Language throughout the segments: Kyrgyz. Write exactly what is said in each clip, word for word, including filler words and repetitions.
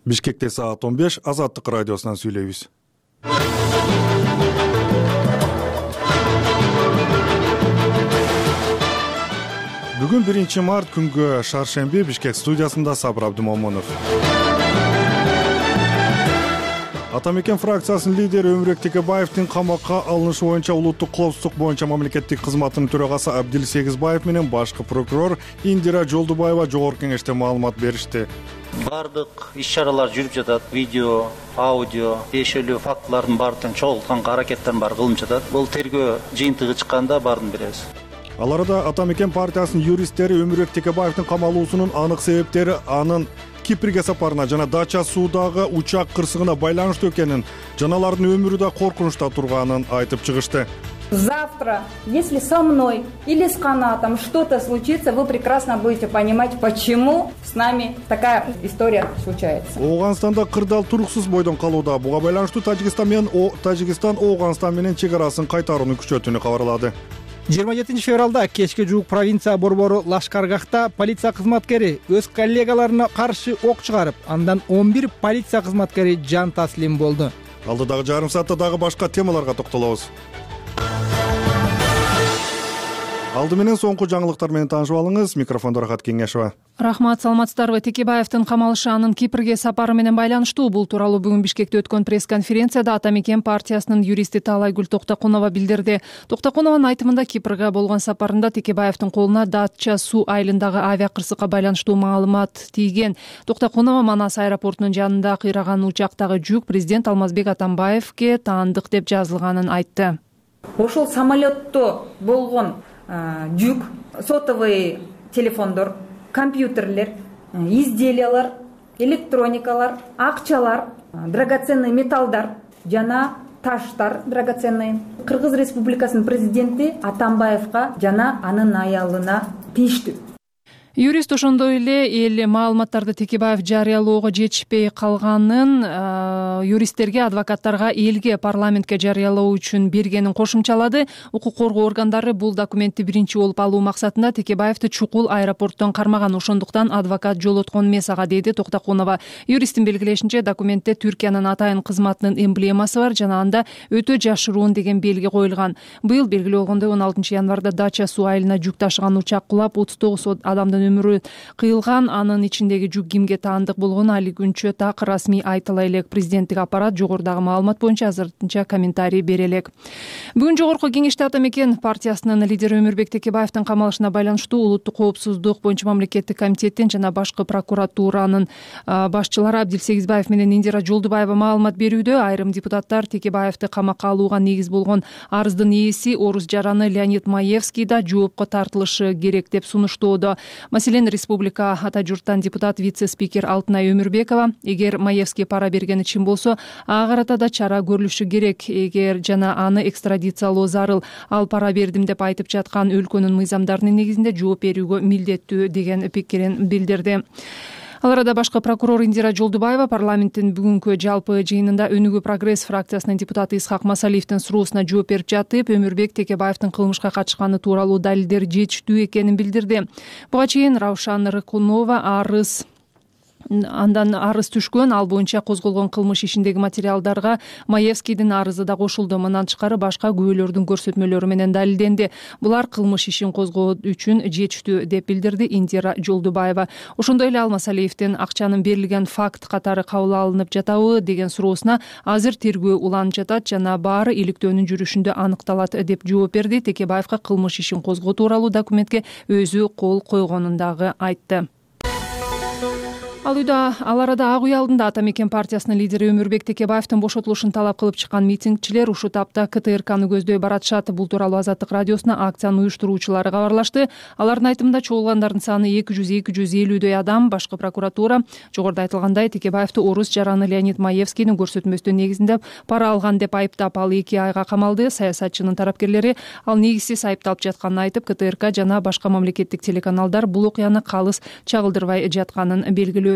Бишкекте саат он беш, Азаттык радиосунан сүйлөйбүз. Бүгүн биринчи март күнгө шаршемби, Бишкек студиясында Сабыр Абдымомунов. Атамекен фракциясынын лидери Өмүрбек Текебаевдин камакка алынышы боюнча улуттук коопсуздук боюнча мамлекеттик кызматтын төрагасы Абдил Сегизбаев менен башкы прокурор Индира Жолдубаева жогорку кеңеште маалымат беришти. Бардык иш-чаралар жүрүп жатат. Видео, аудио, тиешелүү фактылардын баардыгын чогултканга аракеттерин бар кылынып жатат. Бул тергөө жыйынтыгы чыкканда баарын беребиз. Ал арада Атамекен партиясынын юристтери Өмүрбек Текебаевдин камалуусунун анык себептери анын Кипрге сапарына жана Дача суудагы учак кырсыгына байланыштуу экенин, жана алардын өмүрү да коркунучта турганын айтып чыгышты. Завтра, если со мной или с канатом что-то случится, вы прекрасно будете понимать, почему с нами такая история случается. Ооганстанда кырдаал туруксуз бойдон калууда. Буга байланыштуу Тажикстан менен Тажикстан Ооганстан менен чек арасын кайтарууну күчөтүүнү кабарлады. жыйырма жетинчи февралда кечке жуук провинция борбору Лашкаргахта полиция кызматкери өз коллегаларына каршы ок чыгарып, андан он бир полиция кызматкери жан таслим болду. Алдыдагы жарым саатта дагы башка темаларга токтолобуз. Алды менен соңку жаңылыктар менен таанышып алыңыз. Микрофондо Рахат Кеңешова. Рахмат, саламатсыздарбы. Текебаевдин камалышы анын Кипрге сапары менен байланыштуу. Бул тууралуу бүгүн Бишкекте өткөн пресс-конференцияда Атамекен партиясынын юристи Таалайгүл Токтокунова билдирди. Токтокунованын айтымында Кипрге болгон сапарында Текебаевдин колуна Дача суу айылындагы авиа кырсыкка байланыштуу маалымат тийген. Токтокунова Манас аэропортунун жанында кыйраган учактагы жүк президент Алмазбек Атамбаевге таандык деп жазылганын айтты. Ошол самолетто болгон жүк, сотовый телефондор, компьютерлер, изделиялар, электроникалар, акчалар, драгоценный металлдар жана таштар драгоценный Кыргыз Республикасынын президенти Атамбаевга жана анын аялына тийиштүү. Юрист ошондой эле эл маалыматтарды Текебаев жарыялоого жетишпей калганын, юристтерге, адвокаттарга, элге, парламентке жарыялоо үчүн бергенин кошумчалады. Укук коргоо органдары бул документти биринчи болуп алуу максатында Текебаевди чукул аэропорттон кармаган, ошондуктан адвокат жолоткон эмес ага, деди Токтокунова. Юристтин белгилешинче, документте Түркиянын атайын кызматынын эмблемасы бар жана анда өтө жашыруун деген белги коюлган. Быйыл белгилүү болгондой он алтынчы январда Дача суу айылына жүк ташыган учак кулап, отуз тогуз адамдын өмүрү кыйылган. Анын ичиндеги жүк кимге таандык болгону али күнчө так расмий айтыла элек. Президенттик аппарат жогорудагы маалымат боюнча азырынча комментарий бере элек. Бүгүн жогорку кеңеште Атамекен партиясынын лидери Өмүрбек Текебаевдин камалышына байланыштуу улуттук коопсуздук боюнча мамлекеттик комитеттин жана башкы прокуратуранын башчылары Абдил Сегизбаев менен Индира Жолдубаева маалымат берүүдө. Айрым депутаттар Текебаевди камакка алууга негиз болгон арыздын ээси орус жараны Леонид Маевский да жоопко тартылышы керек деп сунуштоодо. Маселен, республика ата журттан депутат вице-спикер Алтынай Өмүрбекова, эгер Маевский пара бергени чын болсо, ага карата да чара көрүлүшү керек, эгер жана аны экстрадициялоо зарыл. Ал пара бердим деп айтып жаткан өлкөнүн мыйзамдарынын негизинде жооп берүүгө милдеттүү деген пикирин билдирди. Ал арада башкы прокурор Индира Жолдубаева парламенттин бүгүнкү жалпы жыйынында Өнүгүү прогресс фракциясынын депутаты Исхак Масалиевдин суроосуна жооп берип жатып, Өмүрбек Текебаевдин кылмышка катышканы тууралуу далилдер жетиштүү экенин билдирди. Буга чейин Раушан Рыкунова арыз андан арыз түшкөн, ал боюнча козголгон кылмыш ишиндеги материалдарга Маевскийдин арызы да кошулду. Мындан тышкары башка күбөлөрдүн көрсөтмөлөрү менен далилденди. Булар кылмыш ишин козгоо үчүн жетиштүү деп билдирди Индира Жолдубаева. Ошондой эле Ал Масалиевдин акчанын берилген факт катары кабыл алынып жатабы деген суроосуна азыр тергөө уланып жатат жана баары иликтөөнүн жүрүшүндө аныкталат деп жооп берди. Текебаевга кылмыш ишин козгоо тууралуу документке өзү кол койгонун дагы айтты. Ал үйдө ал арада Ак үй алдында Атамекен партиясынын лидери Өмүрбек Текебаевдин бошотулушун талап кылып чыккан митингчилер ушул тапта КТРКны көздөй баратышат. Бул тууралуу Азаттык радиосуна акциянын уюштуруучулары кабарлашты. Алардын айтымында чогулгандардын саны эки жүз эки жүз элүүдөй адам. Башкы прокуратура жогоруда айтылгандай Текебаевди орус жараны Леонид Маевскийдин көрсөтмөсүнүн негизинде пара алган деп айыптап, ал эки айга камалды. Саясатчынын тарапкерлери ал негизсиз айыпталып жатканын айтып, КТРК жана башка мамлекеттик телеканалдар бул окуяны калыс чагылдырбай жатканын белгилөө.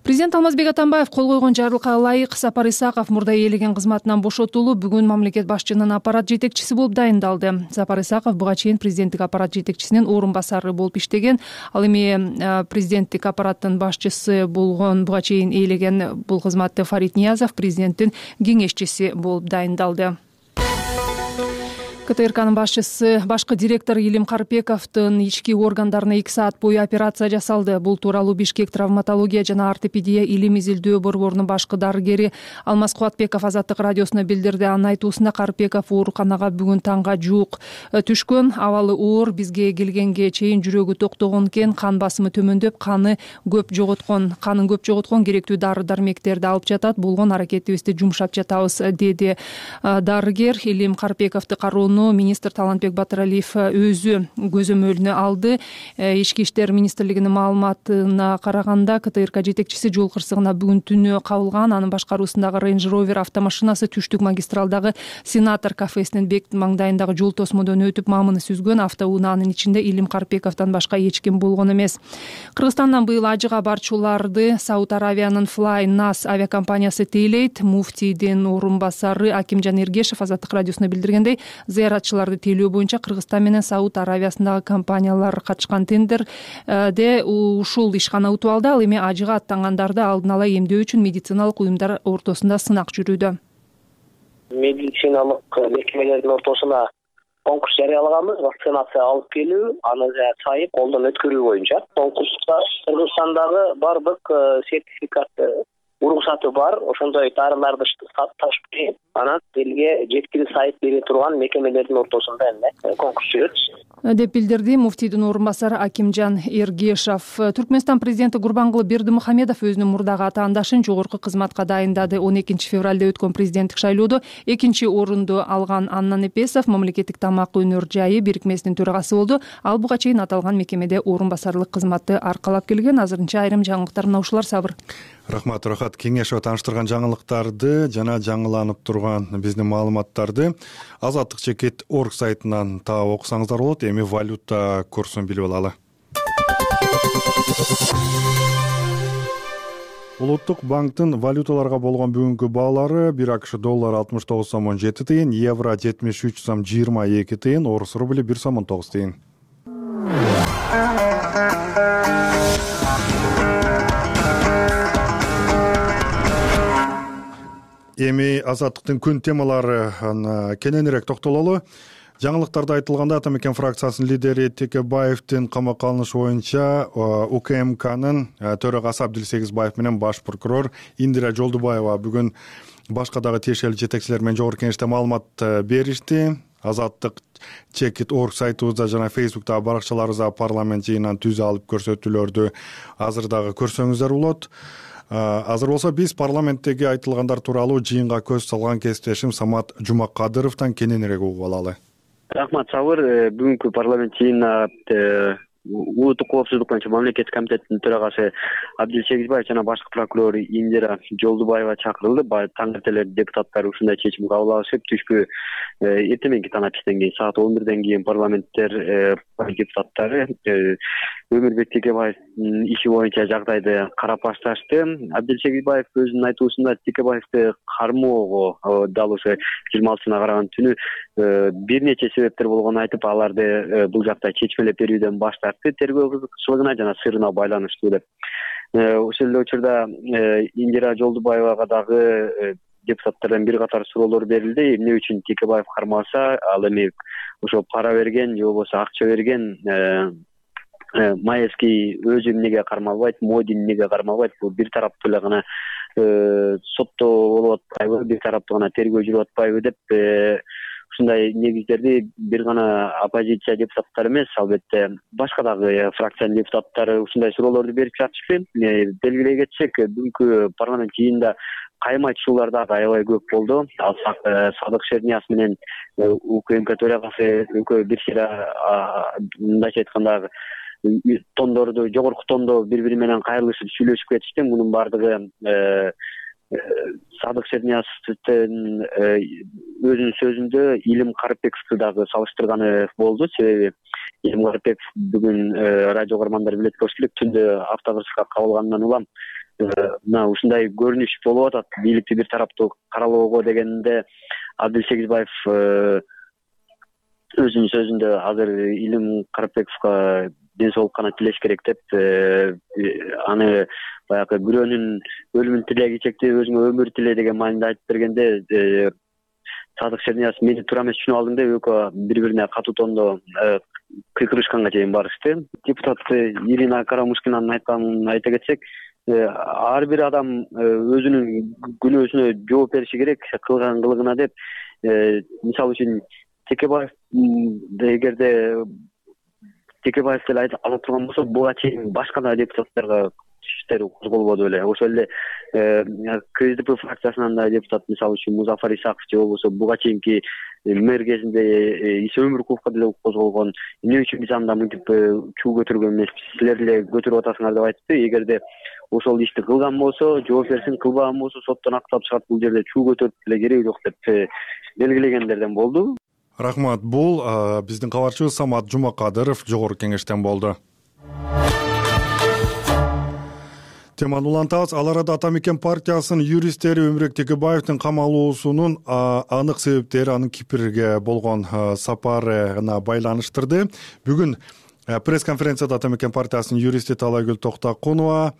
Президент Алмазбек Атамбаев кол койгон жарлыкка ылайык Сапар Исаков мурда ээлеген кызматынан бошотулуп, бүгүн мамлекет башчынын аппарат жетекчиси болуп дайындалды. Сапар Исаков буга чейин президенттик аппарат жетекчисинин орун басары болуп иштеген. Ал эми президенттик аппараттын башчысы болгон буга чейин ээлеген бул кызматты Фарид Ниязов президенттин кеңешчиси болуп дайындалды. КТРКнын башчысы башкы директор Илим Карпековдун ички органдарына эки саат бою операция жасалды. Бул тууралуу Бишкек травматология жана ортопедия илим изилдөө борборунун башкы дарыгери Алмаз Кубатбеков Азаттык радиосуна билдирди. Анын айтуусунда Карпеков ооруканага бүгүн таңга жуук түшкөн. Абалы оор, бизге келгенге чейин жүрөгү токтогон экен, кан басымы төмөндөп, каны көп жоготкон, канын көп жоготкон, керектүү дары дармектерди алып жатат. Болгон аракетибизди жумшап жатабыз, деди дарыгер. Илим Карпековду кароону министр Талантбек Батыралиев өзү көзөмөлүнө алды. Ички иштер министрлигинин маалыматына караганда, КТРК жетекчиси жол кырсыгына бүгүн түнү кабылган. Анын башкаруусундагы Range Rover автомашинасы түштүк магистралдагы Сенатор кафесинин бек маңдайындагы жол тосмодон өтүп мамыны сүзгөн. Автоунаанын ичинде Илим Карпековдон башка эч ким болгон эмес. Кыргызстандан быйыл ажыга барчуларды Сауд Аравиянын Fly Nas авиакомпаниясы тейлейт. Муфтийдин орун басары Акимжан Эргешев Азаттык радиосуна билдиргендей, зыяратчыларды тейлөө боюнча Кыргызстан менен Сауд Аравиясындагы компаниялар катышкан тендерде ушул ишкана утуп алды. Ал эми ажыга аттангандарды алдын ала эмдөө үчүн медициналык уюмдар ортосунда сынак жүрүүдө. Медициналык мекемелердин ортосуна конкурс жарыялаганбыз, вакцинация алып келүү, аны сайып колдон өткөрүү боюнча. Конкурста Кыргызстандагы бардык сертификаты, уруксаты бар, ошондой дарыларды ташып келип, анан элге жеткирип сайып бере турган мекемелердин ортосунда эме конкурс жүрөт деп билдирди муфтийдин орун басары Акимжан Эргешев. Түркмөнстан президенти Гурбангулы Бердимухамедов өзүнүн мурдагы атаандашын жогорку кызматка дайындады. он экинчи февралда өткөн президенттик шайлоодо экинчи орунду алган Анна Непесов мамлекеттик тамак өнөр жайы бирикмесинин төрагасы болду. Ал буга чейин аталган мекемеде орун басарлык кызматты аркалап келген. Азырынча айрым жаңылыктар мына ушулар. Сабыр. Рахмат, Рахат. Кеңешип тааныштырган жаңылыктарды жана жаңыланып турган биздин маалыматтарды Азаттык чекит орг сайтынан таап окусаңыздар болот. Эми валюта курсун билип алалы. Улуттук банктын валюталарга болгон бүгүнкү баалары: бир АКШ доллары алтымыш тогуз сом он жети тыйын, евро жетимиш үч сом жыйырма эки тыйын, орус рубли бир сом он тогуз тыйын. Эми Азаттыктын күн темалары кененирээк токтололу. Жаңылыктарда айтылганда, Атамекен фракциясынын лидери Текебаевдин камакка алынышы боюнча УКМКнын төрагасы Абдилсегизбаев менен баш прокурор Индира Жолдубаева бүгүн башка дагы тиешелүү жетекчилер менен жогорку кеңеште маалымат беришти. Азаттык чекит орг сайтыбызда жана Facebook'та баракчаларыбызда парламент жыйынынан түз алып көрсөтүүлөрдү азыр дагы көрсөңүздөр болот. Азыр болсо биз парламенттеги айтылгандар тууралуу жыйынга көз салган кесиптешим Самат Жумакадыровдон кененирээк угуп алалы. Рахмат, Сабыр. Бүгүнкү парламент жыйынына улуттук коопсуздук боюнча мамлекеттик комитеттин төрагасы Абдилсегизбаев жана башкы прокурор Индира Жолдубаева чакырылды. Таң эртелер депутаттар ушундай чечим кабыл алышып, түшкү эртеменки танапистен кийин саат он бирден кийин парламенттер депутаттары Өмүрбек Текебаевдин иши боюнча жагдайды карап башташты. Абдилсегизбаев өзүнүн айтуусунда Текебаевди кармоого дал ошо жыйырма алтысына караган түнү бир нече себептер болгонун айтып, аларды бул жакта чечмелеп берүүдөн баш тартты, тергөө кызыкчылыгына жана сырына байланыштуу деп. Ошол эле учурда Индира Жолдубаевага дагы депутаттардан бир катар суроолор берилди. Эмне үчүн Текебаев кармаса, ал эми ошо пара берген же болбосо акча берген Маевский өзү эмнеге кармалбайт, Модин эмнеге кармалбайт? Бул бир тараптуу эле гана соттоо болуп атпайбы, бир тараптуу гана тергөө жүрүп атпайбы деп ушундай негиздерди бир гана оппозиция депутаттары эмес, албетте башка дагы фракциянын депутаттары ушундай суроолорду берип жатышты. Белгилей кетсек, бүгүнкү парламент жыйынында кайым айтышуулар дагы аябай көп болду. Алсак Садык Шернияз менен УКМК төрагасы экөө бир сыйра мындайча айтканда тондорду, жогорку тондо бири бири менен кайрылышып сүйлөшүп кетишти. Мунун баардыгы Садык Шернияздын өзүнүн сөзүндө Илим Карпековду дагы салыштырганы болду. Себеби Илим Карпеков бүгүн радио көрөрмандар билет болуш керек, түндө автокырсыкка кабылгандан улам мына ушундай көрүнүш болуп атат. Бийликти бир тараптуу каралоого дегенде Абдил Сегизбаев өзүнүн сөзүндө азыр Илим Карапбековго ден соолук гана тилеш керек деп, аны баягы бирөөнүн өлүмүн тилей чекти, өзүңө өмүр тиле деген маанинде айтып бергенде Садык Шерниязов мени туура эмес түшүнүп алдың деп экөө бири бирине катуу тондо кыйкырышканга чейин барышты. Депутат Ирина Карамушкинанын айтканын айта кетсек, ар бир адам өзүнүн күнөөсүнө жооп бериши керек кылган кылыгына деп. Мисалы үчүн Текебаев эгерде Текебаев деле алып турган болсо, буга чейин башка да депутаттарга иштер козголбоду беле. Ошол эле КСДП фракциясынан да депутат, мисалы үчүн Музафар Исаков же болбосо буга чейинки мэр кезинде Иса Өмүркуловго деле козголгон. Эмне үчүн биз анда мынтип чуу көтөргөн эмеспиз, силер деле көтөрүп атасыңар деп айтты. Эгерде ошол ишти кылган болсо жооп берсин, кылбаган болсо соттон актап чыгат, бул жерде чуу көтөрүп деле кереги жок деп белгилегендерден болду. Рахмат. Бул биздин кабарчыбыз Самат Жумакадыров Жогорку Кеңештен болду. Теманы улантабыз. Ал арада Ата Мекен партиясынын юристтери Өмүрбек Текебаевдин камалуусунун анык себептери анын Кипрге болгон сапарына байланыштырды. Бүгүн пресс-конференцияда Ата Мекен партиясынын юристи Талайгүл Токтокунова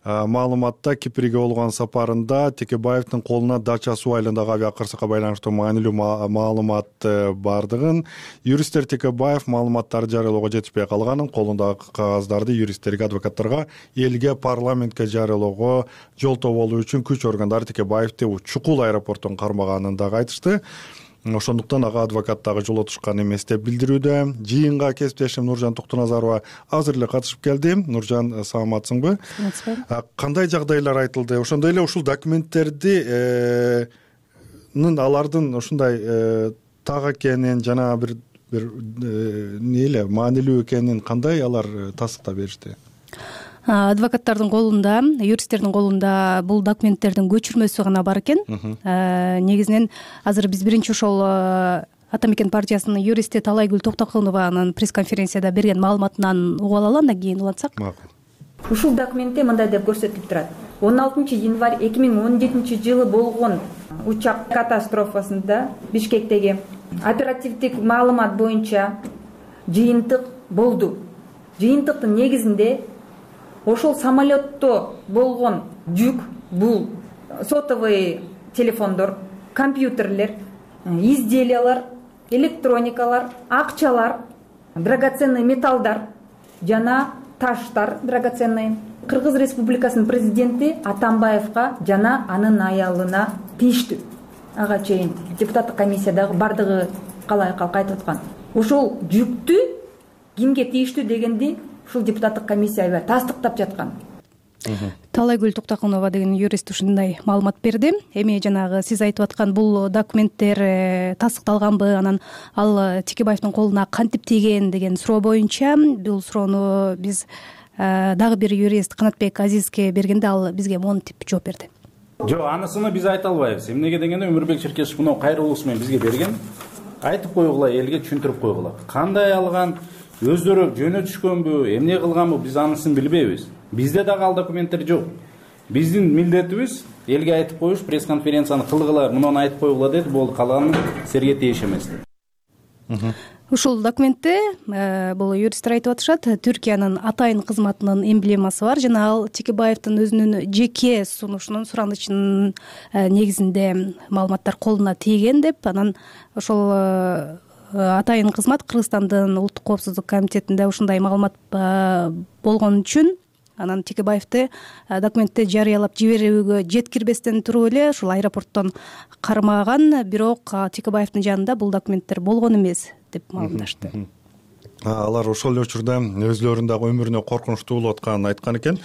маалыматта Кипрге болгон сапарында Текебаевдин колуна Дача суу айылындагы авиакырсыкка байланыштуу маанилүү маалымат бардыгын, юристтер Текебаев маалыматтарды жарыялоого жетишпей калганын, колундагы кагаздарды юристтерге, адвокаттарга, элге, парламентке жарыялоого жолтоо болуу үчүн күч органдары Текебаевди Чукул аэропортун кармаганын дагы айтышты. Ошондуктан ага адвокат дагы жол отушкан эмес деп билдирүүдө. Жыйынга кесиптешим Нуржан Токтоназарова азыр эле катышып келди. Нуржан, саламатсыңбы? Кандай жагдайлар айтылды? Ошондой эле ушул документтерди алардын ушундай так экенин жана бир бир эмне эле маанилүү экенин кандай алар тасыктап беришти? Адвокаттардын колунда, юристтердин колунда бул документтердин көчүрмөсү гана бар экен. Негизинен азыр биз биринчи ошол Ата Мекен партиясынын юристи Талайгүл Токтокунованын пресс-конференцияда берген маалыматынан угуп алалы, андан кийин улантсак. Ушул документте мындай деп көрсөтүлүп турат. он алтынчы январь эки миң он жетинчи жылы болгон учак катастрофасында Бишкектеги оперативдик маалымат боюнча жыйынтык болду. Жыйынтыктын негизинде ошол самолетто болгон жүк, бул сотовый телефондор, компьютерлер, изделиялар, электроникалар, акчалар, драгоценный металлдар жана таштар драгоценный Кыргыз Республикасынын президенти Атамбаевга жана анын аялына тийиштүү. Ага чейин депутаттык комиссиядагы бардыгы калай калк айтып аткан. Ошол жүктү кимге тийиштүү дегенди ушул депутаттык комиссия тастыктап жаткан. Талайгүл Токтокунова деген юрист ушундай маалымат берди. Эми жанагы сиз айтып аткан бул документтер тастыкталганбы, анан ал Текебаевдин колуна кантип тийген деген суроо боюнча, бул суроону биз дагы бир юрист Канатбек Азизге бергенде ал бизге монтип жооп берди. Жок, анысыны биз айта албайбыз. Эмнеге дегенде Өмүрбек Черкесов мына кайрылуусу менен бизге берген. Айтып койгула, элге түшүндүрүп койгула. Кандай алган, өздөрү жөнө түшкөнбү, эмне кылганбы, биз анысын билбейбиз. Бизде дагы ал документтер жок. Биздин милдетибиз элге айтып коюш, пресс-конференцияны кылгыла, муну айтып койгула деди, болду, калганын силерге тийиш эмес. Ушул документте бул юристтер айтып атышат, Түркиянын атайын кызматынын эмблемасы бар жана ал Текебаевдин өзүнүн жеке сунушунун суранычынын негизинде маалыматтар колуна тийген деп. Анан ошол атайын кызмат Кыргызстандын улуттук коопсуздук комитетинде ушундай маалымат болгон үчүн анан Текебаевди документти жарыялап жиберүүгө жеткирбестен туруп эле ушул аэропорттон кармаган, бирок Текебаевдин жанында бул документтер болгон эмес деп маалымдашты. Алар ошол эле учурда өзлөрүнүн дагы өмүрүнө коркунучтуу болуп атканын айткан экен.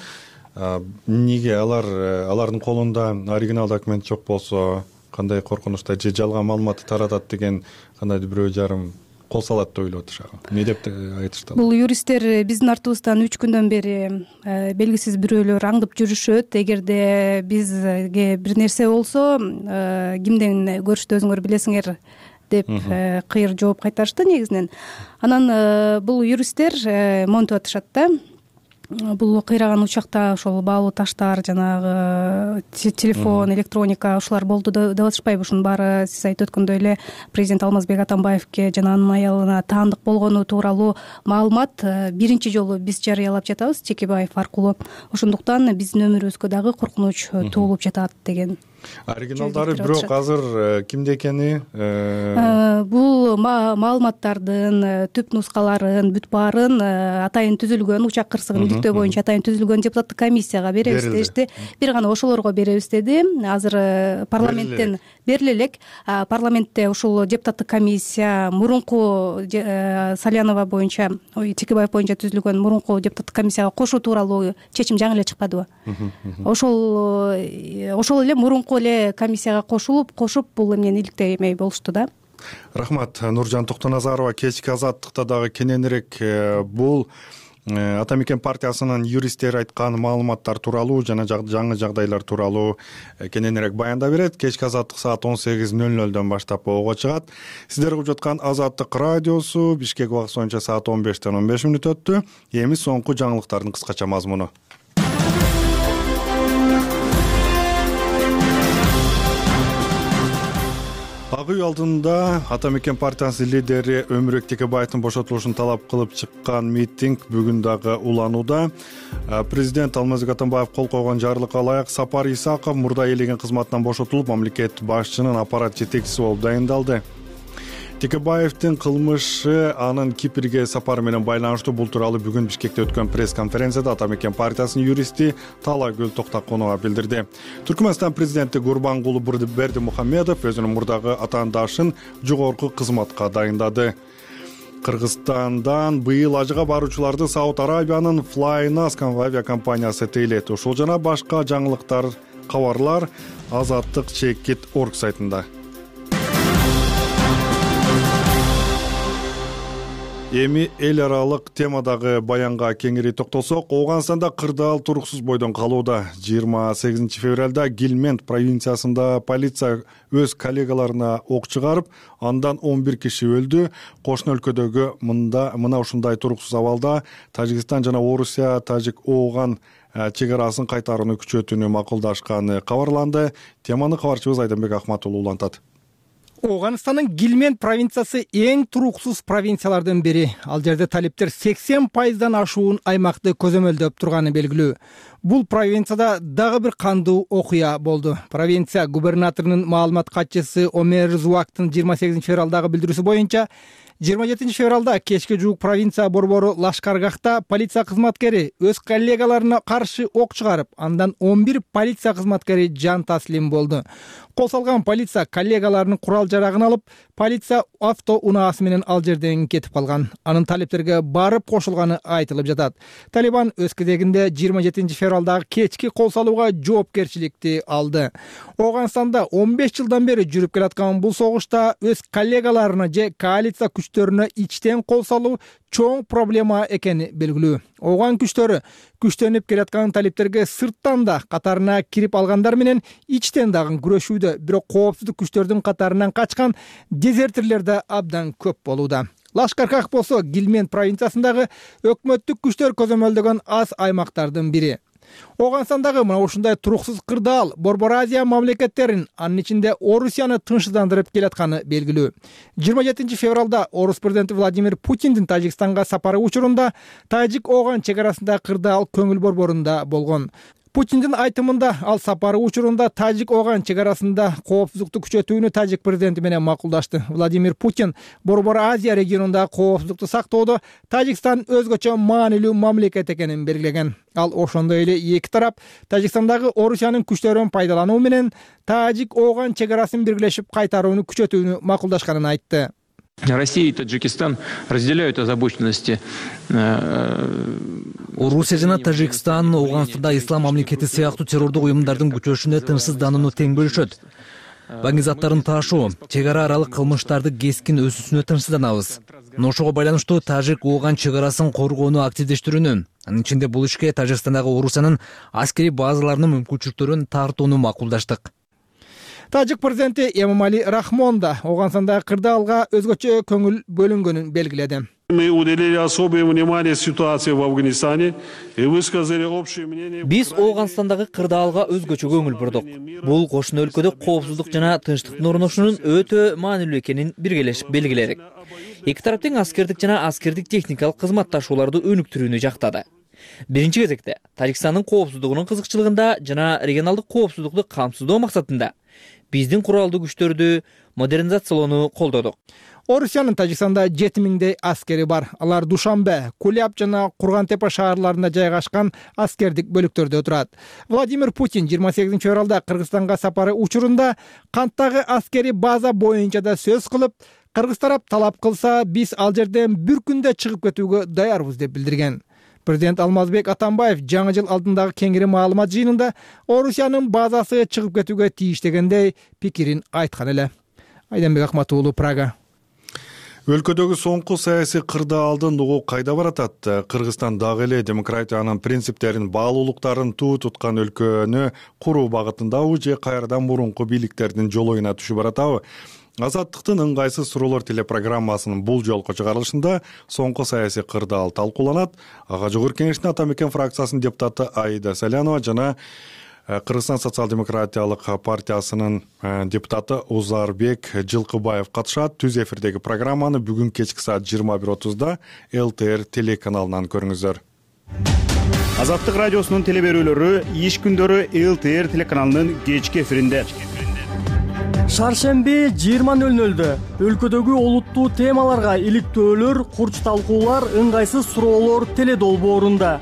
Эмнеге алар алардын колунда оригинал документ жок болсо, кандай коркунучта же жалган маалыматты таратат деген кандайдыр бирөө жарым кол салат деп ойлоп атышат. Эмне деп айтышты? Бул юристтер биздин артыбыздан үч күндөн бери белгисиз бирөөлөр аңдып жүрүшөт. Эгерде бизге бир нерсе болсо, кимден көрүштү өзүңөр билесиңер деп кыйыр жооп кайтарышты негизинен. Анан бул юристтер монтип атышат да. бул кыйраган учакта ошол баалуу таштар, жанагы телефон, электроника ушулар болду деп атышпайбы? Ушунун баары сиз айтып өткөндөй эле президент Алмазбек Атамбаевке жана анын аялына таандык болгону тууралуу маалымат биринчи жолу биз жарыялап жатабыз Текебаев аркылуу. Ошондуктан биздин өмүрүбүзгө дагы коркунуч туулуп жатат деген. Оригиналдары бирок азыр кимде экени? Бул маалыматтардын түп нускаларын бүт баарын атайын түзүлгөн учак кырсыгын иликтөө боюнча атайын түзүлгөн депутаттык комиссияга беребиз дешти. Бир гана ошолорго беребиз деди. Азыр парламенттен бериле элек. Парламентте ушул депутаттык комиссия мурунку Салянова боюнча, ой, Текебаев боюнча түзүлгөн мурунку депутаттык комиссияга кошуу тууралуу чечим жаңы эле чыкпадыбы? Ошол ошол эле мурунку эле комиссияга кошулуп, кошуп бул эмнени иликтемей болушту да. Рахмат. Нуржан Токтоназарова кечки азаттыкта дагы кененирээк бул Ата мекен партиясынын юристтери айткан маалыматтар тууралуу жана жаңы жагдайлар тууралуу кененирээк баяндап берет. Кечки азаттык саат он сегиз нөл нөлдөн баштап ого чыгат. Сиздер угуп жаткан Азаттык радиосу Бишкек убакыты боюнча саат он бештен он беш мүнөт өттү. Эми соңку жаңылыктардын кыскача мазмуну. Ак үй алдында Ата мекен партиясынын лидери Өмүрбек Текебаевдин бошотулушун талап кылып чыккан митинг бүгүн дагы уланууда. Президент Алмазбек Атамбаев кол койгон жарлыкка ылайык Сапар Исаков мурда ээлеген кызматынан бошотулуп, мамлекет башчынын аппарат жетекчиси болуп дайындалды. Текебаевдин кылмышы анын Кипрге сапары менен байланыштуу. Бул тууралуу бүгүн Бишкекте өткөн пресс-конференцияда Ата мекен партиясынын юристи Талагүл Токтоконова билдирди. Түркмөнстан президенти Гурбангулы Бердимухамедов өзүнүн мурдагы атаандашын жогорку кызматка дайындады. Кыргызстандан быйыл ажыга баруучуларды Сауд Арабиянын Flynas авиакомпаниясы тейлет. Ушул жана башка жаңылыктар, кабарлар Азаттык чекит точка орг сайтында. Эми эл аралык темадагы баянга кеңири токтолсок, Ооганстанда кырдаал туруксуз бойдон калууда. жыйырма сегизинчи февралда Гилмент провинциясында полиция өз коллегаларына ок чыгарып, андан он бир киши өлдү. Кошуна өлкөдөгү мында мына ушундай туруксуз абалда Тажикстан жана Орусия Тажик-Ооган чек арасын кайтарууну күчөтүүнү макулдашканы кабарланды. Теманы кабарчыбыз Айданбек Акматулу улантат. Ооганстандын Гилмент провинциясы эң туруксуз провинциялардын бири. Ал жерде талиптер сексен пайыздан ашуун аймакты көзөмөлдөп турганы белгилүү. Бул провинцияда дагы бир кандуу окуя болду. Провинция губернаторунун маалымат катчысы Омер Зуактын жыйырма сегизинчи февралдагы билдирүүсү боюнча жыйырма жетинчи февралда кечке жуук провинция борбору Лашкаргахта полиция кызматкери өз коллегаларына каршы ок чыгарып, андан он бир полиция кызматкери жан таслим болду. Кол салган полиция коллегаларынын курал жарагын алып, полиция авто унаасы менен ал жерден кетип калган. Анын талиптерге барып кошулганы айтылып жатат. Талибан өз кезегинде жыйырма жетинчи февралдагы кечки кол салууга жоопкерчиликти алды. Ооганстанда он беш жылдан бери жүрүп келаткан бул согушта өз коллегаларына же коалиция күчтөрүнө ичтен кол салуу чоң проблема экени белгилүү. Ооган күчтөрү күчтөнүп келаткан талиптерге сырттан да катарына кирип алгандар менен ичтен дагы күрөшүүдө, бирок коопсуздук күчтөрдүн катарынан качкан дезертирлер да абдан көп болууда. Лашкаргах болсо Гилмент провинциясындагы өкмөттүк күчтөр көзөмөлдөгөн аз аймактардын бири. Ооганстандагы мына ушундай туруксуз кырдаал Борбор Азия мамлекеттерин, анын ичинде Орусияны тынчсыздандырып келатканы белгилүү. жыйырма жетинчи февралда Орус президенти Владимир Путиндин Тажикстанга сапары учурунда Тажик-Ооган чек арасындагы кырдаал көңүл борборунда болгон. Путиндин айтымында ал сапары учурунда Тажик-Ооган чек арасында коопсуздукту күчөтүүнү Тажик президенти менен макулдашты. Владимир Путин Борбор Азия регионундагы коопсуздукту сактоодо Тажикстан өзгөчө маанилүү мамлекет экенин белгилеген. Ал ошондой эле эки тарап Тажикстандагы Орусиянын күчтөрүн пайдалануу менен Тажик-Ооган чек арасын биргелешип кайтарууну күчөтүүнү макулдашканын айтты. Россия и Таджикистан разделяют озабоченности. Орусия жана Тажикстан Ооганстанда ислам мамлекети сыяктуу террордук уюмдардын күчөшүнө тынчсызданууну тең бөлүшөт. Баңги заттарын таашуу, чек ара аралык кылмыштарды кескин өсүүсүнө тынчсызданабыз. Ошого байланыштуу Тажик-Ооган чек арасын коргоону активдештирүүнү, анын ичинде бул ишке Тажикстандагы Орусиянын аскери базаларынын мүмкүнчүлүктөрүн тартууну макулдаштык. Тажик президенти Эмомали Рахмон да Ооганстандагы кырдаалга өзгөчө көңүл бөлүнгөнүн белгиледи. Мы уделили особое внимание ситуации в Афганистане и высказали общее мнение. Биз Ооганстандагы кырдаалга өзгөчө көңүл бурдук. Бул кошуна өлкөдө коопсуздук жана тынчтыктын орношуунун өтө маанилүү экенин биргелешип белгиледик. Эки тараптын аскердик жана аскердик техникалык кызматташууларды өнүктүрүүнү жактады. Биринчи кезекте Тажикстандын коопсуздугунун кызыкчылыгында жана регионалдык коопсуздукту камсыздоо максатында биздин куралдуу күчтөрдү модернизациялоону колдодук. Орусиянын Тажикстанда жети миңдей аскери бар. Алар Душанбе, Куляб жана Кургантепе шаарларында жайгашкан аскердик бөлүктөрдө турат. Владимир Путин жыйырма сегизинчи февралда Кыргызстанга сапары учурунда канттагы аскери база боюнча да сөз кылып, кыргыз тарап талап кылса, биз ал жерден бир күндө чыгып кетүүгө даярбыз деп билдирген. Президент Алмазбек Атамбаев жаңы жыл алдындагы кеңири маалымат жыйынында Орусиянын базасы чыгып кетүүгө тийиш дегендей пикирин айткан эле. Айданбек Акматуулу, Прага. Өлкөдөгү соңку саясий кырдаалдын угу кайда баратат? Кыргызстан дагы эле демократиянын принциптерин, баалуулуктарын туу туткан өлкөнү куруу багытындабы же кайрадан мурунку бийликтердин жолоюна түшүп баратабы? Азаттыктын ыңгайсыз суроолор телепрограммасынын бул жолку чыгарылышында соңку саясий кырдаал талкууланат. Ага жогорку кеңештин Ата Мекен фракциясынын депутаты Аида Салянова жана Кыргызстан социал-демократиялык партиясынын депутаты Узарбек Жылкыбаев катышат. Түз эфирдеги программаны бүгүн кечки саат жыйырма бир отузда эл тэ эр телеканалынан көрүңүздөр. Азаттык радиосунун телеберүүлөрү иш күндөрү эл тэ эр телеканалынын кечки эфиринде. Шаршемби жыйырма нөл нөлдө өлкөдөгү олуттуу темаларга иликтөөлөр, курч талкуулар, ыңгайсыз суроолор теледолбоорунда.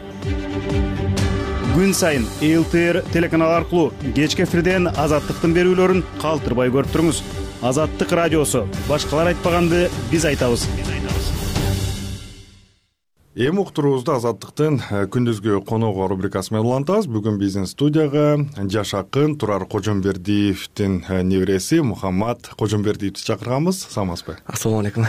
Күн сайын эл тэ эр телеканалы аркылуу кечки эфирден азаттыктын берүүлөрүн калтырбай көрүп туруңуз. Азаттык радиосу. Башкалар айтпаганды биз айтабыз. Эми уктуруубузду Азаттыктын күндүзгү коногу рубрикасы менен улантабыз. Бүгүн биздин студияга жаш акын Турар Кожомбердиевдин небереси Мухаммад Кожомбердиевди чакырганбыз. Саламатсызбы? Ассалому алейкум.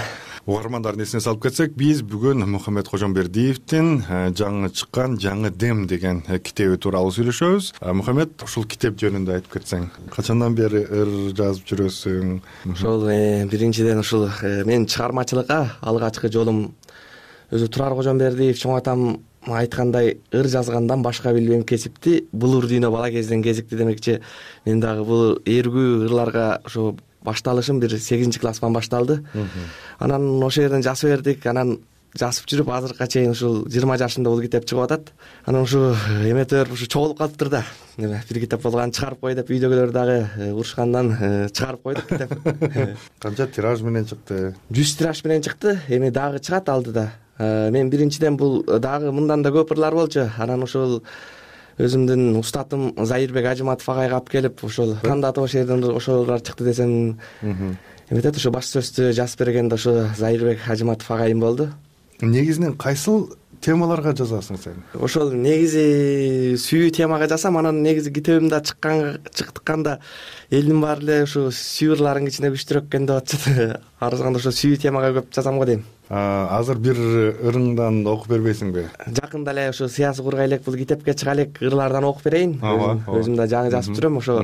Угармандардын эсине салып кетсек, биз бүгүн Мухаммад Кожомбердиевдин жаңы чыккан Жаңы дем деген китеби тууралуу сүйлөшөбүз. Мухаммад, ушул китеп жөнүндө айтып кетсең, качандан бери ыр жазып жүрөсүң? Ошол биринчиден ушул менин чыгармачылыкка алгачкы жолум өзү Турар Кожомбердиев чоң атам айткандай ыр жазгандан башка билбейм кесипти, булур дүйнө бала кезден кезикти демекчи. Мен дагы бул эргүү ырларга ошо башталышым бир сегизинчи класстан башталды. Анан ошол жерден жазып бердик, анан жазып жүрүп азыркыга чейин ушул жыйырма жашымда бул китеп чыгып атат. Анан ушу эметер ушу чогулуп калыптыр да. Бир китеп болгон чыгарып кой деп үйдөгүлөр дагы урушкандан чыгарып койдук китеп. Канча тираж менен чыкты? жүз тираж менен чыкты. Эми дагы чыгат алдыда. Мен биринчиден бул дагы мындан да көп ырлар болчу. Анан ошол өзүмдүн устатым Заирбек Ажыматов агайга алып келип, ошол тандатып ошол жерден ошолор чыкты десем, эметет ошо баш сөздү жазып берген да ошо Заирбек Ажыматов агайым болду. Негизинен кайсыл темаларга жазасың сен? Ошол негизи сүйүү темага жазсам, анан негизи китебимде чыккан чыкканда элдин баары эле ушу сүйүү ырларынын ичинде күчтүүрөк экен деп атышат. Арзганда ошо сүйүү темага көп жазам го дейм. Азыр бир ырыңдан окуп бербейсиңби? Жакында эле ошо Сыясы кургай элек бул китепке чыга элек ырлардан окуп берейин. Өзүм да жаңы жазып жүрөм. Ошо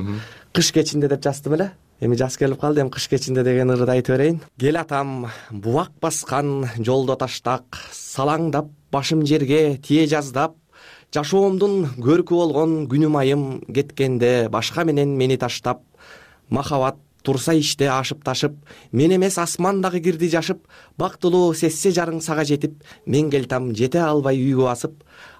кыш кечинде деп жаздым эле. Эми жаз келип калды, эми кыш кечинде деген ырды айтып берейин. Кел атам, бубак баскан жолдо таштак, салаңдап башым жерге тие жаздап, жашоомдун көркү болгон күнүм айым кеткенде башка менен мени таштап, махабат турса иште ашып ташып, мен эмес асман дагы кирди жашып, бактылуу сессе жарың сага жетип, мен келтам жете албай үйгө басып,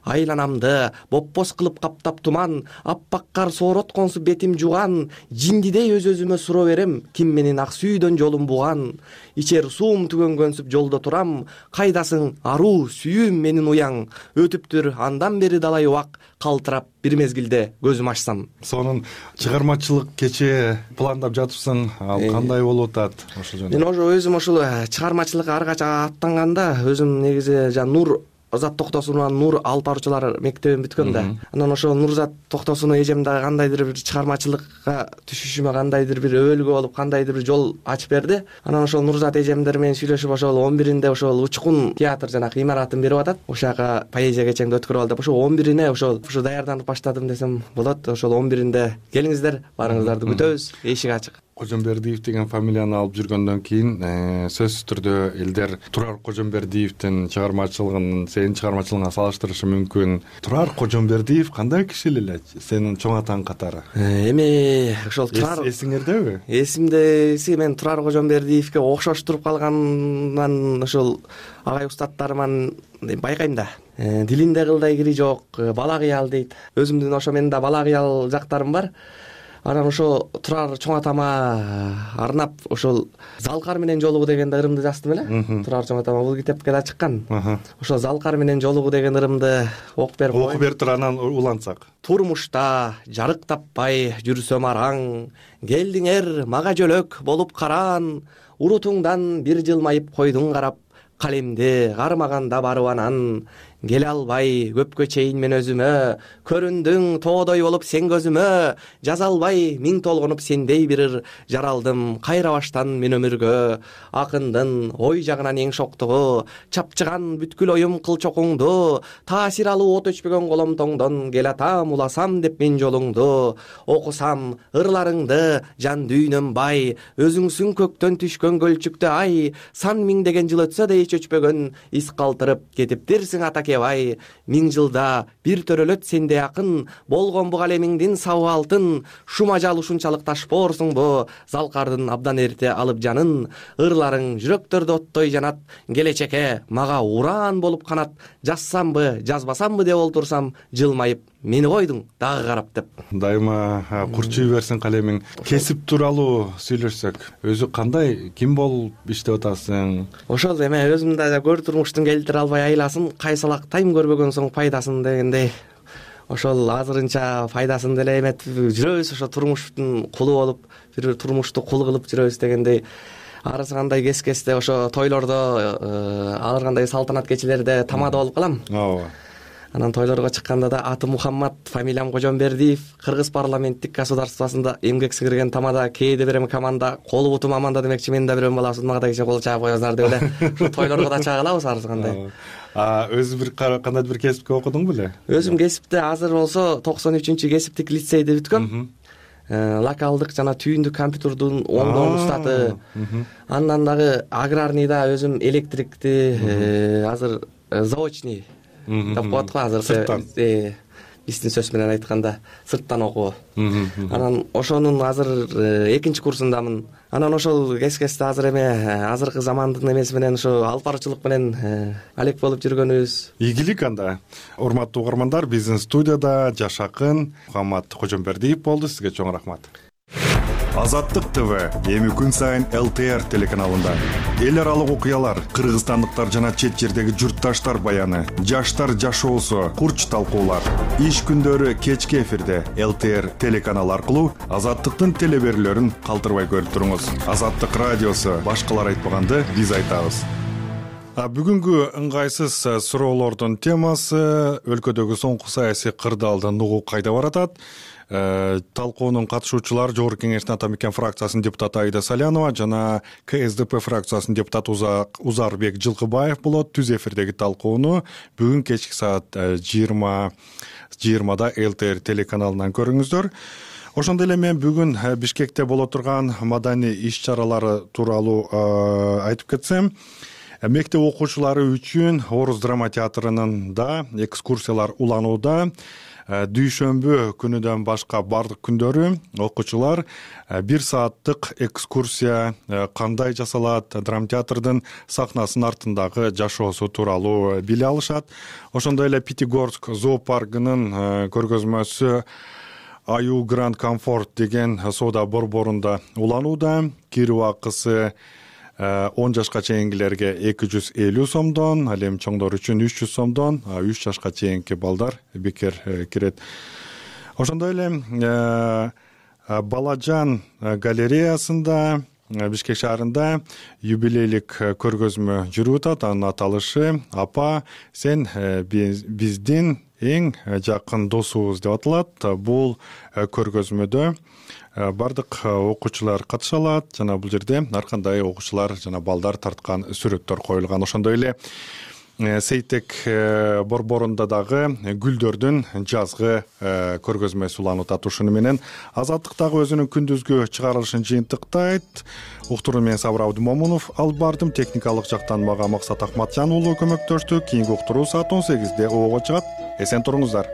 айланамды боппос кылып каптап туман, аппак кар сооротконсу бетим жуган, жиндидей өз-өзүмө суроо берем, ким менин ак сүйүүдөн жолум буган, ичер суум түгөнгөнсүп жолдо турам, кайдасың аруу сүйүүм менин уяң, өтүптүр андан бери далай убак, калтырап бир мезгилде көзүм ачсам. Сонун чыгармачылык кече пландап жатыпсың, ал кандай болуп атат ошол жөнүндө? Мен ошо өзүм ошол чыгармачылыкка ар кача аттанганда өзүм негизи жана Нур Озат Токтосуновдун Нур алып баруучулар мектебин бүткөм да. Анан ошо Нурзат Токтосунов эжем дагы кандайдыр бир чыгармачылыкка түшүшүмө кандайдыр бир өбөлгө болуп, кандайдыр бир жол ачып берди. Анан ошол Нурзат эжемдер менен сүйлөшүп ошол он биринде ошол Учкун театр жанагы имаратын берип атат. Ошол жака поэзия кечеңди өткөрүп ал деп ошол он бирине ошол ошо даярданып баштадым десем болот. Ошол он биринде келиңиздер, баарыңыздарды күтөбүз. Эшик ачык. Кожомбердиев деген фамилияны алып жүргөндөн кийин сөзсүз түрдө элдер Турар Кожомбердиевдин чыгармачылыгын сенин чыгармачылыгыңа салыштырышы мүмкүн. Турар Кожомбердиев кандай киши эле сенин чоң атаң катары? Эми ошол Турар эсиңердеби? Эсимдеси мен Турар Кожомбердиевке окшош туруп калгандан ошол агай устаттарыман байкайм да. Дилинде кылдай кири жок, бала кыял дейт. Өзүмдүн ошо менин да бала кыял жактарым бар. Анан ошо Турар чоң атама арнап ошол Залкар менен жолугуу деген ырымды жаздым эле. Турар чоң атама бул китепке да чыккан. Ошо Залкар менен жолугуу деген ырымды окуп берип окуп бер тур, анан улантсак. Турмушта жарык таппай жүрсөм араң, келдиңер мага жөлөк болуп караан, урутуңдан бир жылмайып койдуң карап, калемди кармаганда барып анан, келе албай көпкө чейин мен өзүмө, көрүндүң тоодой болуп сен көзүмө, жаза албай миң толгонуп сендей бир ыр, жаралдым кайра баштан мен өмүргө, акындын ой жагынан эң шоктугу, чапчыган бүткүл оюм кыл чокуңду, таасир алуу от өчпөгөн коломтоңдон, кел атам уласам деп мен жолуңду, окусам ырларыңды жан дүйнөм бай, өзүңсүң көктөн түшкөн көлчүктө ай, сан миңдеген жыл өтсө да эч өчпөгөн из калтырып кетиптирсиң атаке бай, миң жылда бир төрөлөт сенде акын, болгон бу калемиңдин сабы алтын, шума жал ушунчалык ташпоорсуңбу, Залкардын абдан эрте алып жанын, ырларың жүрөктөрдө оттой жанат, келечекке мага ураан болуп канат, жазсамбы, жазбасамбы деп олтурсам, жылмайып мени койдуң дагы карап деп. Дайыма курчуй берсин калемиң. Кесип тууралуу сүйлөшсөк, өзү кандай, ким болуп иштеп атасың? Ошол эме өзүм да көр турмуштун келтире албай айласын, кайсалактайм көрбөгөн соң пайдасын дегендей. Ошол азырынча пайдасын деле эметип жүрөбүз, ошо турмуштун кулу болуп, бир турмушту кул кылып жүрөбүз дегендей. Арысы кандай кес-кесте ошо тойлордо, ар кандай салтанат кечелерде тамада болуп калам. Ооба. Анан тойлорго чыкканда да аты Мухаммад, фамилиям Кожомбердиев, Кыргыз парламенттик государствосунда эмгек сіңирген тамада, кээде берем команда, колу бутум аманда демекчи, мен да бирөм баласыз, мага да кичине кол чаап коесуңар деп эле. Ушу тойлорго да чагылабыз арысы кандай. А өзү бир кандайдыр бир кесипке окудуң беле? Өзүм кесипте азыр болсо токсон үчүнчү кесиптик лицейди бүткөм. Локалдык жана түйүндүк компьютердун оңдоо устаты. Андан дагы аграрныйда өзүм электрикти, азыр заочный деп коет го азыр. Сырттан. Биздин сөз менен айтканда сырттан окуу. Анан ошонун азыр экинчи курсундамын. Анан ошол кес-кесте азыр эме азыркы замандын эмеси менен ошо алып баруучулук менен алек болуп жүргөнүбүз. Ийгилик анда. Урматтуу угармандар, биздин студияда жаш акын Мухаммад Кожомбердиев болду. Сизге чоң рахмат. Азаттык ТВ эми күн сайын эл тэ эр телеканалында эл аралык окуялар, кыргызстандыктар жана чет жердеги журтташтар баяны, жаштар жашоосу, курч талкуулар. Иш күндөрү кечки эфирде эл тэ эр телеканалы аркылуу Азаттыктын телеберүүлөрүн калтырбай көрүп туруңуз. Азаттык радиосу, башкалар айтпаганды биз айтабыз. Бүгүнкү ыңгайсыз суроолордун темасы өлкөдөгү соңку саясий кырдаалдан угуу кайда баратат? Талкуунун катышуучулары Жогорку Кеңештин Ата Мекен фракциясынын депутаты Аида Салянова жана ка эс дэ пэ фракциясынын депутаты Узарбек Жылкыбаев болот. Түз эфирдеги талкууну бүгүн кечки саат жыйырма жыйырмада эл тэ эр телеканалынан көрүңүздөр. Ошондой эле мен бүгүн Бишкекте боло турган маданий иш-чаралары тууралуу айтып кетсем, мектеп окуучулары үчүн Орус драма театрынында экскурсиялар уланууда. Дүйшөмбү күнүдөн башка бардык күндөрү окуучулар бир сааттык экскурсия кандай жасалат, драмтеатрдын сахнасынын артындагы жашоосу тууралуу биле алышат. Ошондой эле Пятигорск зоопаркынын көргөзмөсү Аю Гранд Комфорт деген соода борборунда уланууда. Кирүү акысы он жашка чейингилерге эки жүз элүү сомдон, ал эми чоңдор үчүн үч жүз сомдон, үч жашка чейинки балдар бекер кирет. Ошондой эле Балажан галереясында Бишкек шаарында юбилейлик көргөзмө жүрүп атат. Анын аталышы Апа, сен биздин эң жакын досубуз деп аталат. Бул көргөзмөдө бардык окуучулар катыша алат жана бул жерде ар кандай окуучулар жана балдар тарткан сүрөттөр коюлган. Ошондой эле Сейтек борборунда дагы гүлдөрдүн жазгы көргөзмөсү уланып атат. Ушуну менен Азаттык дагы өзүнүн күндүзгү чыгарылышын жыйынтыктайт. Уктуруу менен Сабыр Абдымомунов алып бардым. Техникалык жактан мага Максат Акматжан уулу көмөктөштү. Кийинки уктуруу саат он сегизде обого чыгат. Эсен туруңуздар.